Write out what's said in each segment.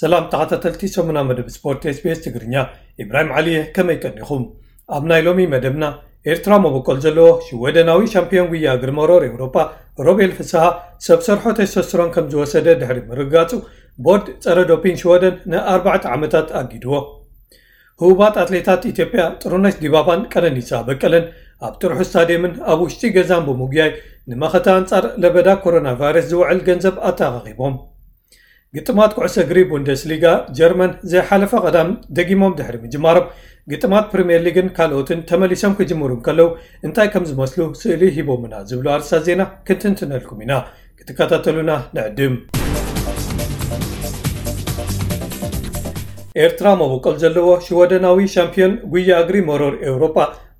ሰላም ተኸታተልቲ ሰሙና መደብ ስፖርት ኤስቢኤስ ትግርኛ፣ ኢብራሂም ዓሊ እየ። ከመይ ቀኒኹም? ኣብ ናይ ሎሚ መደብና፣ ኤርትራ መበቆል ዘለዎ ሽወደናዊ ሻምፒዮን ጉያ እግሪ መሮር ኤውሮጳ ሮቤል ፍስሃ ሰብ ሰርሖ ቴስቶስትሮን ከም ዝወሰደ ድሕሪ ምርጋጹ፣ ቦርድ ጸረ ዶፒንግ ሽወደን ንኣርባዕተ ዓመታት ኣጊድዎ። ህቡባት ኣትሌታት ኢትዮጵያ ጥሩነሽ ዲባባን ቀነኒሳ በቀለን ኣብ ጥርሑ ስታድየምን ኣብ ውሽጢ ገዛን ብምጉያይ ንመኸተ ኣንጻር ለበዳ ኮሮና ቫይረስ ዝውዕል ገንዘብ ኣተኣኻኺቦም። ግጥማት ኩዕሶ እግሪ ቡንደስሊጋ ጀርመን ዘይሓለፈ ቀዳም ደጊሞም ድሕሪ ምጅማሮም፣ ግጥማት ፕሪምየር ሊግን ካልኦትን ተመሊሶም ክጅምሩ እንከለዉ እንታይ ከም ዝመስሉ ስእሊ ሂቦምና ዝብሉ ኣርእስታት ዜና ክንትንትነልኩም ኢና። ክትከታተሉና ንዕድም። ኤርትራ መበቆል ዘለዎ ሽወደናዊ ሻምፒዮን ጉያ እግሪ መሮር ኤውሮጳ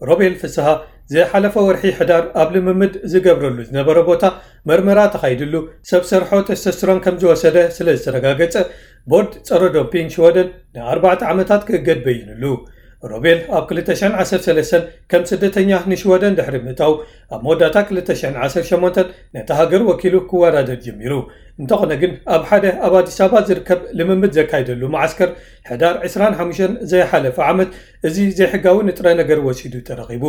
ሮቤል ፍስሃ ዝሓለፈ ወርሒ ሕዳር ኣብ ልምምድ ዝገብረሉ ዝነበረ ቦታ መርመራ ተኻይድሉ ሰብ ሰርሖ ቴስቶስትሮን ከም ዝወሰደ ስለ ዝተረጋገጸ፣ ቦርድ ጸረ ዶፒንግ ሽወደን ንኣርባዕተ ዓመታት ክእገድ በይንሉ። ሮቤል ኣብ ክልተ ሽሕን ዓሰርተ ሰለስተን ከም ስደተኛ ንሽወደን ድሕሪ ምእታው፣ ኣብ መወዳእታ ክልተ ሽሕን ዓሰርተ ሸሞንተን ነታ ሃገር ወኪሉ ክወዳደር ጀሚሩ። እንተኾነ ግን፣ ኣብ ሓደ ኣብ ኣዲስ ኣበባ ዝርከብ ልምምድ ዘካይደሉ መዓስከር ሕዳር ዕስራን ሓሙሽተን ዘይሓለፈ ዓመት፣ እዚ ዘይሕጋዊ ንጥረ ነገር ወሲዱ ተረኺቡ።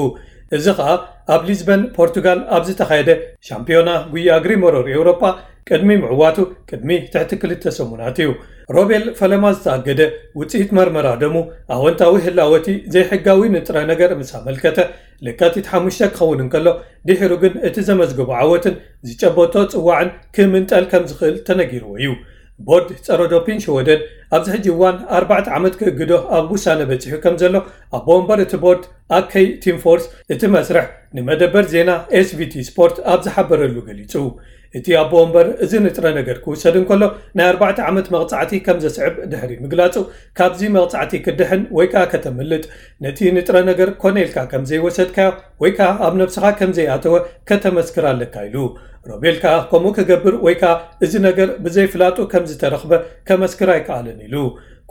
እዚ ኸኣ ኣብ ሊዝበን ፖርቱጋል ኣብ ዝተኻየደ ሻምፒዮና ጉያ እግሪ መሮር ኤውሮጳ ቅድሚ ምዕዋቱ ቅድሚ ትሕቲ ክልተ ሰሙናት እዩ። ሮቤል ፈለማ ዝተኣገደ፣ ውጽኢት መርመራ ደሙ ኣወንታዊ ህላወ እቲ ዘይሕጋዊ ንጥረ ነገር ምስ ኣመልከተ ለካቲት ሓሙሽተ ክኸውን እንከሎ፣ ድሒሩ ግን እቲ ዘመዝገቦ ዓወትን ዝጨበጦ ጽዋዕን ክምንጠል ከም ዝኽእል ተነጊርዎ እዩ። ቦርድ ጸረ ዶፒን ሽወደን ኣብዚ ሕጂ እዋን ኣርባዕተ ዓመት ክእግዶ ኣብ ውሳነ በጺሑ ከም ዘሎ ኣቦ ወንበር እቲ ቦርድ ኣከይ ቲምፎርስ እቲ መስርሕ ንመደበር ዜና ኤስቪቲ ስፖርት ኣብ ዝሓበረሉ ገሊጹ። እቲ ኣቦ ወንበር እዚ ንጥረ ነገር ክውሰድ እንከሎ ናይ ኣርባዕተ ዓመት መቕጻዕቲ ከም ዘስዕብ ድሕሪ ምግላጹ፣ ካብዚ መቕጻዕቲ ክድሕን ወይ ከኣ ከተምልጥ፣ ነቲ ንጥረ ነገር ኮነ ኢልካ ከም ዘይወሰድካዮ ወይ ከኣ ኣብ ነብስኻ ከም ዘይኣተወ ከተመስክር ኣለካ ኢሉ። ሮቤል ከኣ ከምኡ ክገብር ወይ ከኣ እዚ ነገር ብዘይፍላጡ ከም ዝተረኽበ ከመስክር ኣይከኣለን ኢሉ።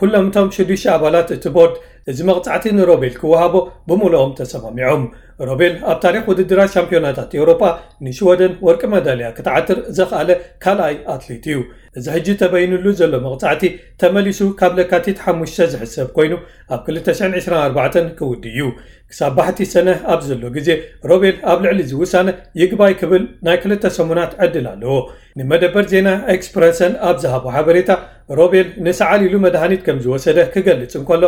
ኩሎም እቶም ሽዱሽተ ኣባላት እቲ ቦርድ እዚ መቕጻዕቲ ንሮቤል ክወሃቦ ብምሉኦም ተሰማሚዖም። ሮቤል ኣብ ታሪኽ ውድድራት ሻምፒዮናታት ኤውሮጳ ንሽወደን ወርቂ መዳልያ ክትዓትር ዘኽኣለ ካልኣይ ኣትሌት እዩ። እዚ ሕጂ ተበይንሉ ዘሎ መቕጻዕቲ ተመሊሱ ካብ ለካቲት ሓሙሽተ ዝሕሰብ ኮይኑ፣ ኣብ ክልተ ሽሕን ዕስራን ኣርባዕተን ክውድእ እዩ። ክሳብ ባሕቲ ሰነ ኣብ ዘሎ ግዜ፣ ሮቤል ኣብ ልዕሊ እዚ ውሳነ ይግባይ ክብል ናይ ክልተ ሰሙናት ዕድል ኣለዎ። ንመደበር ዜና ኤክስፕረሰን ኣብ ዝሃቦ ሓበሬታ፣ ሮቤል ንሰዓል ኢሉ መድሃኒት ከም ዝወሰደ ክገልጽ እንከሎ፣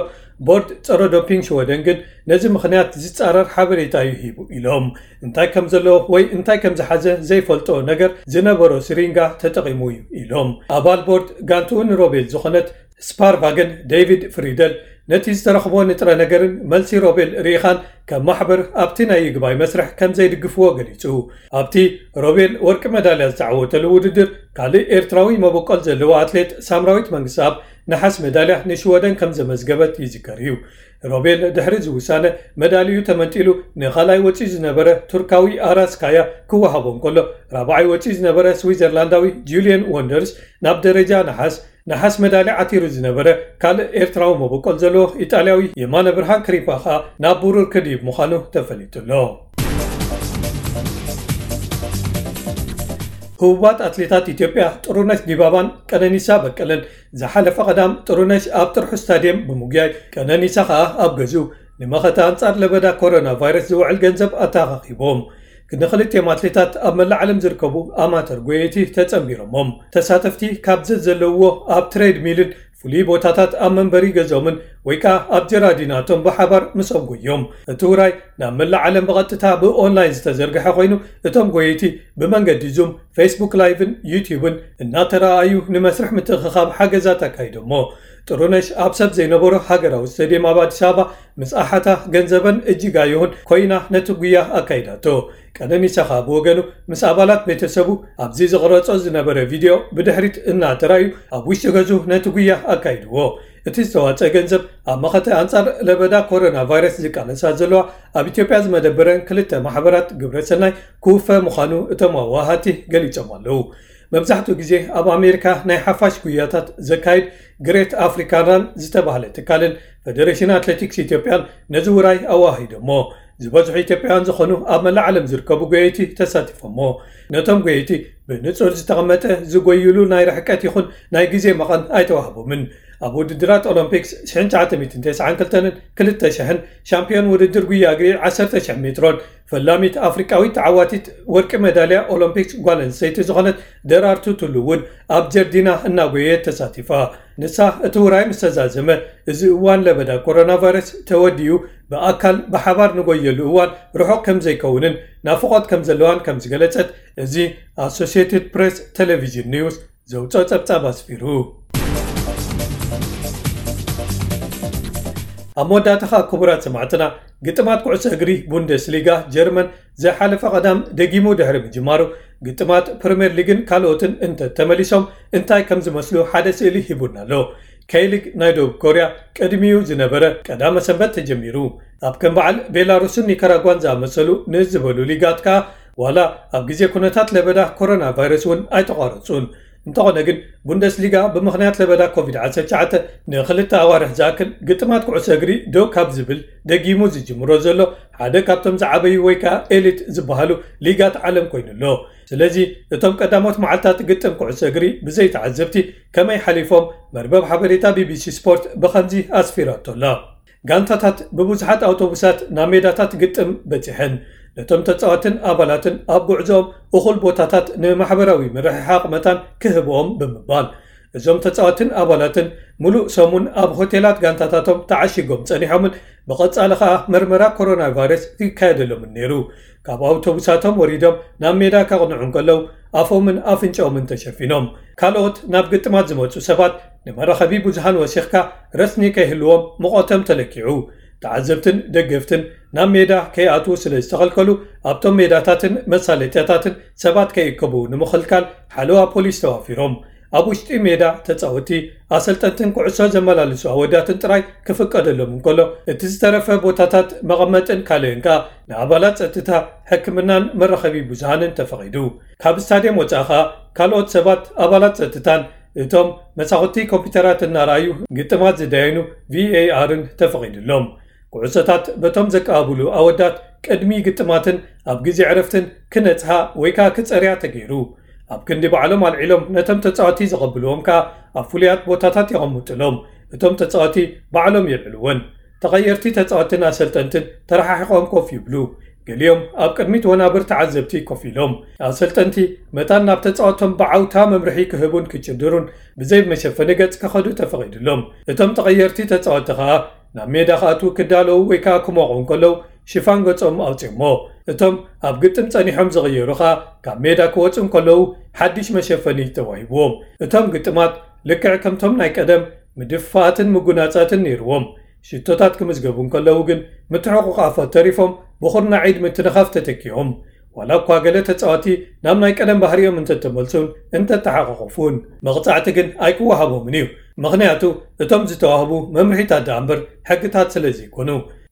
ቦርድ ጸረ ዶፒንግ ሽወደን ግን ነዚ ምኽንያት ዝጻረር ሓበሬታ እዩ ሂቡ ኢሎም። እንታይ ከም ዘለዎ ወይ እንታይ ከም ዝሓዘ ዘይፈልጦ ነገር ዝነበሮ ስሪንጋ ተጠቒሙ እዩ ኢሎም። ኣባል ቦርድ ጋንትኡ ንሮቤል ዝኾነት ስፓርቫገን ዴቪድ ፍሪደል፣ ነቲ ዝተረኽቦ ንጥረ ነገርን መልሲ ሮቤል ርኢኻን ከም ማሕበር ኣብቲ ናይ ይግባይ መስርሕ ከም ዘይድግፍዎ ገሊጹ። ኣብቲ ሮቤል ወርቂ መዳልያ ዝተዓወተሉ ውድድር፣ ካልእ ኤርትራዊ መበቆል ዘለዎ ኣትሌት ሳምራዊት መንግስተኣብ ነሓስ መዳልያ ንሽወደን ከም ዘመዝገበት ይዝከር እዩ። ሮቤል ድሕሪ እዚ ውሳነ መዳልዩ ተመንጢሉ ንኻልኣይ ወጺኡ ዝነበረ ቱርካዊ ኣራስ ካያ ክወሃቦ እንከሎ፣ ራብዓይ ወጺኡ ዝነበረ ስዊዘርላንዳዊ ጁልየን ወንደርስ ናብ ደረጃ ነሓስ፣ ነሓስ መዳልያ ዓቲሩ ዝነበረ ካልእ ኤርትራዊ መበቆል ዘለዎ ኢጣልያዊ የማነ ብርሃን ክሪፓ ኸኣ ናብ ብሩር ክድይብ ምዃኑ ተፈሊጡ ኣሎ። ህቡባት ኣትሌታት ኢትዮጵያ ጥሩነሽ ዲባባን ቀነኒሳ በቀለን ዝሓለፈ ቀዳም ጥሩነሽ ኣብ ጥርሑ ስታድየም ብምጉያይ፣ ቀነኒሳ ኸኣ ኣብ ገዝኡ ንመኸተ ኣንጻር ለበዳ ኮሮና ቫይረስ ዝውዕል ገንዘብ ኣተኣኻኺቦም። ንክልቲኦም ኣትሌታት ኣብ መላእ ዓለም ዝርከቡ ኣማተር ጎየይቲ ተጸንቢሮሞም። ተሳተፍቲ ካብ ዘዘለውዎ ኣብ ትሬድ ሚልን ፍሉይ ቦታታት ኣብ መንበሪ ገዝኦምን ወይ ከኣ ኣብ ጀራዲናቶም ብሓባር ምስኦም ጎዮም። እቲ ውራይ ናብ መላእ ዓለም ብቐጥታ ብኦንላይን ዝተዘርግሐ ኮይኑ፣ እቶም ጎየይቲ ብመንገዲ ዙም፣ ፌስቡክ ላይቭን ዩትዩብን እናተረኣኣዩ ንመስርሕ ምትእኽኻብ ሓገዛት ኣካይዶሞ። ጥሩነሽ ኣብ ሰብ ዘይነበሮ ሃገራዊ ስቴድየም ኣብ ኣዲስ ኣበባ ምስ ኣሓታ ገንዘበን እጅጋየሁን ኮይና ነቲ ጉያ ኣካይዳቶ። ቀነኒሳ ኸኣ ብወገኑ ምስ ኣባላት ቤተሰቡ ኣብዚ ዝቕረጾ ዝነበረ ቪድዮ ብድሕሪት እናተራእዩ ኣብ ውሽጢ ገዝኡ ነቲ ጉያ ኣካይድዎ። እቲ ዝተዋጸአ ገንዘብ ኣብ መኸተ ኣንጻር ለበዳ ኮሮና ቫይረስ ዝቃለሳ ዘለዋ ኣብ ኢትዮጵያ ዝመደበረን ክልተ ማሕበራት ግብረ ሰናይ ክውፈ ምዃኑ እቶም ኣዋሃቲ ገሊጾም ኣለዉ። መብዛሕትኡ ግዜ ኣብ ኣሜሪካ ናይ ሓፋሽ ጉያታት ዘካይድ ግሬት ኣፍሪካን ራን ዝተባህለ ትካልን ፌደሬሽን ኣትሌቲክስ ኢትዮጵያን ነዚ ውራይ ኣዋሂዶሞ። ዝበዝሑ ኢትዮጵያውያን ዝኾኑ ኣብ መላእ ዓለም ዝርከቡ ጎየይቲ ተሳቲፎሞ። ነቶም ጎየይቲ ብንጹር ዝተቐመጠ ዝጎይሉ ናይ ርሕቀት ይኹን ናይ ግዜ መቐን ኣይተዋህቦምን። ኣብ ውድድራት ኦሎምፒክስ ሽሕን ትሽዓተ ሚእትን ተስዓን ክልተን ክልተ ሽሕን ሻምፒዮን ውድድር ጉያ እግሪ ዓሰርተ ሽሕ ሜትሮን ፈላሚት ኣፍሪቃዊት ተዓዋቲት ወርቂ ሜዳልያ ኦሎምፒክስ ጓል ኣንስተይቲ ዝኾነት ደራርቱ ቱሉ እውን ኣብ ጀርዲና እናጎየት ተሳቲፋ። ንሳ እቲ ውራይ ምስ ተዛዘመ፣ እዚ እዋን ለበዳ ኮሮና ቫይረስ ተወዲኡ፣ ብኣካል ብሓባር ንጎየሉ እዋን ርሑቕ ከም ዘይከውንን ናፍቖት ከም ዘለዋን ከም ዝገለጸት እዚ ኣሶሲየትድ ፕሬስ ቴሌቪዥን ኒውስ ዘውፅኦ ጸብጻብ ኣስፊሩ። ኣብ መወዳእታ ኸኣ ክቡራት ሰማዕትና፣ ግጥማት ኩዕሶ እግሪ ቡንደስሊጋ ጀርመን ዝሓለፈ ቀዳም ደጊሙ ድሕሪ ምጅማሩ፣ ግጥማት ፕሪምየር ሊግን ካልኦትን እንተ ተመሊሶም እንታይ ከም ዝመስሉ ሓደ ስእሊ ሂቡና ኣሎ። ከይ ሊግ ናይ ደቡብ ኮርያ ቅድሚኡ ዝነበረ ቀዳመ ሰንበት ተጀሚሩ። ኣብ ከም በዓል ቤላሩስን ኒካራጓን ዝኣመሰሉ ንዝበሉ ሊጋት ከኣ ዋላ ኣብ ግዜ ኩነታት ለበዳ ኮሮና ቫይረስ እውን ኣይተቋረጹን። እንተኾነ ግን ቡንደስሊጋ ብምኽንያት ለበዳ ኮቪድ ዓሰርተ ትሽዓተ ንኽልተ ኣዋርሕ ዝኣክል ግጥማት ኩዕሶ እግሪ ደው ካብ ዝብል ደጊሙ ዝጅምሮ ዘሎ ሓደ ካብቶም ዝዓበዩ ወይ ከኣ ኤሊት ዝበሃሉ ሊጋት ዓለም ኮይኑ ኣሎ። ስለዚ እቶም ቀዳሞት መዓልታት ግጥም ኩዕሶ እግሪ ብዘይ ተዓዘብቲ ከመይ ሓሊፎም? መርበብ ሓበሬታ ቢቢሲ ስፖርት ብኸምዚ ኣስፊራቶ ኣላ። ጋንታታት ብብዙሓት ኣውቶቡሳት ናብ ሜዳታት ግጥም በጺሐን፣ ነቶም ተጻወትን ኣባላትን ኣብ ጉዕዞኦም እኹል ቦታታት ንማሕበራዊ ምርሕሓቕ መታን ክህብኦም ብምባል፣ እዞም ተጻወትን ኣባላትን ምሉእ ሰሙን ኣብ ሆቴላት ጋንታታቶም ተዓሺጎም ጸኒሖምን ብቐጻሊ ኸኣ መርመራ ኮሮና ቫይረስ ይካየደሎምን ነይሩ። ካብ ኣውቶቡሳቶም ወሪዶም ናብ ሜዳ ከቕንዑ እንከለዉ ኣፎምን ኣፍንጫኦምን ተሸፊኖም። ካልኦት ናብ ግጥማት ዝመጹ ሰባት ንመራኸቢ ብዙሃን ወሲኽካ ረስኒ ከይህልዎም ሙቐቶም ተለኪዑ። ተዓዘብትን ደገፍትን ናብ ሜዳ ከይኣትዉ ስለ ዝተኸልከሉ ኣብቶም ሜዳታትን መሳለጥያታትን ሰባት ከይእከቡ ንምኽልካል ሓለዋ ፖሊስ ተዋፊሮም። ኣብ ውሽጢ ሜዳ ተጻወቲ፣ ኣሰልጠንትን ኩዕሶ ዘመላልሱ ኣወዳትን ጥራይ ክፍቀደሎም እንከሎ፣ እቲ ዝተረፈ ቦታታት መቐመጥን ካልእን ከኣ ንኣባላት ጸጥታ፣ ሕክምናን መራኸቢ ብዙሃንን ተፈቒዱ። ካብ ስታድየም ወጻኢ ከኣ ካልኦት ሰባት፣ ኣባላት ጸጥታን እቶም መሳኹቲ ኮምፒውተራት እናረኣዩ ግጥማት ዝዳየኑ ቪኤኣርን ተፈቒዱሎም። ኩዕሶታት በቶም ዘቀባብሉ ኣወዳት ቅድሚ ግጥማትን ኣብ ግዜ ዕረፍትን ክነጽሃ ወይ ከኣ ክጸርያ ተገይሩ። ኣብ ክንዲ ባዕሎም ኣልዒሎም ነቶም ተጻወቲ ዘቐብልዎም ከኣ ኣብ ፍሉያት ቦታታት የቐምጥሎም። እቶም ተጻወቲ ባዕሎም የልዕልወን። ተቐየርቲ ተጻወትን ኣሰልጠንትን ተረሓሒቖም ኮፍ ይብሉ። ገሊኦም ኣብ ቅድሚት ወናብር ተዓዘብቲ ኮፍ ኢሎም። ኣሰልጠንቲ መታን ናብ ተጻወቶም ብዓውታ መምርሒ ክህቡን ክጭድሩን ብዘይ መሸፈኒ ገጽ ክኸዱ ተፈቒዱሎም። እቶም ተቐየርቲ ተጻወቲ ከኣ ናብ ሜዳ ክኣትዉ ክዳለዉ ወይ ከኣ ክሞቑ እንከለዉ ሽፋን ገጾም ኣውጺኦሞ። እቶም ኣብ ግጥም ጸኒሖም ዝቕየሩ ከኣ ካብ ሜዳ ክወጹ እንከለዉ ሓድሽ መሸፈኒ ተዋሂብዎም። እቶም ግጥማት ልክዕ ከምቶም ናይ ቀደም ምድፍፋኣትን ምጉናጻትን ነይርዎም። ሽቶታት ክምዝገቡ እንከለዉ ግን ምትሕቑቕ ኣፎት ተሪፎም ብኹርናዕ ኢድ ምትንኻፍ ተተኪኦም። ዋላ እኳ ገለ ተጻወቲ ናብ ናይ ቀደም ባህሪኦም እንተተመልሱን እንተተሓቋቖፉን፣ መቕጻዕቲ ግን ኣይክወሃቦምን እዩ። ምኽንያቱ እቶም ዝተዋህቡ መምርሒታት ደኣ እምበር ሕግታት ስለ ዘይኮኑ።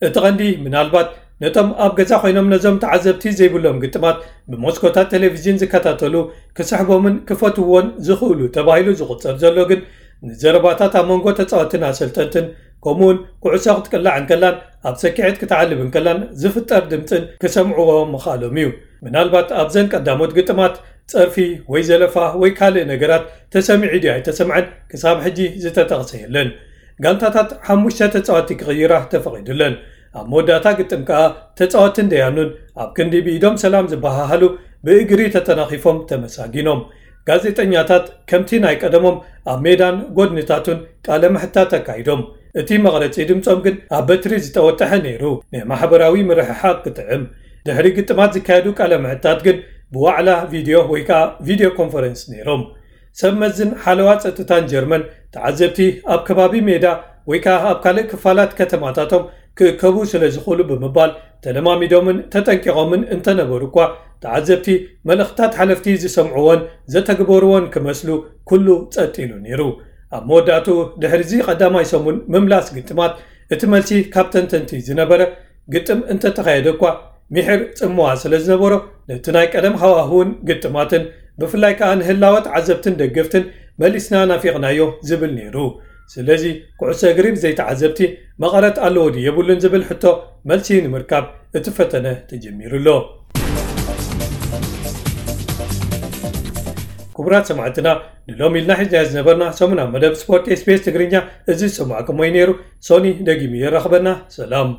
እቲ ቀንዲ ምናልባት ነቶም ኣብ ገዛ ኮይኖም ነዞም ተዓዘብቲ ዘይብሎም ግጥማት ብመስኮታት ቴሌቪዥን ዝከታተሉ ክስሕቦምን ክፈትውዎን ዝኽእሉ ተባሂሉ ዝቑጸር ዘሎ ግን ንዘረባታት ኣብ መንጎ ተጻወትን ኣሰልጠንትን ከምኡውን ኩዕሶ ክትቅላዕ እንከላን ኣብ ሰኪዔት ክትዓልብ እንከላን ዝፍጠር ድምጽን ክሰምዕዎ ምኽኣሎም እዩ። ምናልባት ኣብዘን ቀዳሞት ግጥማት ጸርፊ ወይ ዘለፋ ወይ ካልእ ነገራት ተሰሚዑ ድዩ ኣይተሰምዐን ክሳብ ሕጂ ዝተጠቕሰ የለን። ጋንታታት ሓሙሽተ ተጻወቲ ክቕይራ ተፈቒዱለን። ኣብ መወዳእታ ግጥም ከኣ ተጻወትን ደያኑን ኣብ ክንዲ ብኢዶም ሰላም ዝበሃሃሉ ብእግሪ ተጠናኺፎም ተመሳጊኖም። ጋዜጠኛታት ከምቲ ናይ ቀደሞም ኣብ ሜዳን ጎድንታቱን ቃለ ምሕታት ኣካይዶም። እቲ መቕረጺ ድምጾም ግን ኣብ በትሪ ዝጠወጠሐ ነይሩ፣ ንማሕበራዊ ምርሕሓቕ ክጥዕም። ድሕሪ ግጥማት ዝካየዱ ቃለ ምሕታት ግን ብዋዕላ ቪድዮ ወይ ከኣ ቪድዮ ኮንፈረንስ ነይሮም። ሰብ መዝን ሓለዋ ጸጥታን ጀርመን ተዓዘብቲ ኣብ ከባቢ ሜዳ ወይ ከኣ ኣብ ካልእ ክፋላት ከተማታቶም ክእከቡ ስለ ዝኽእሉ ብምባል ተለማሚዶምን ተጠንቂቖምን እንተነበሩ እኳ ተዓዘብቲ መልእኽትታት ሓለፍቲ ዝሰምዕዎን ዘተግበርዎን ክመስሉ ኩሉ ጸጥ ኢሉ ነይሩ። ኣብ መወዳእትኡ ድሕሪዚ ቀዳማይ ሰሙን ምምላስ ግጥማት እቲ መልሲ ካብ ተንተንቲ ዝነበረ ግጥም እንተተኻየደ እኳ ሚሒር ጽምዋ ስለ ዝነበሮ ነቲ ናይ ቀደም ሃዋህውን ግጥማትን ብፍላይ ከኣ ንህላወ ተዓዘብትን ደገፍትን መሊስና ናፊቕናዮ ዝብል ነይሩ። ስለዚ ኩዕሶ እግሪ ብዘይተዓዘብቲ መቐረት ኣለዎ ድዩ የብሉን ዝብል ሕቶ መልሲ ንምርካብ እቲ ፈተነ ተጀሚሩ ኣሎ። ክቡራት ሰማዕትና ንሎም ኢልና ሒዝና ዝነበርና ሰሙና መደብ ስፖርት ኤስቤስ ትግርኛ እዚ ዝሰማዕኩም ወይ ነይሩ። ሶኒ ደጊሙ የራኽበና። ሰላም።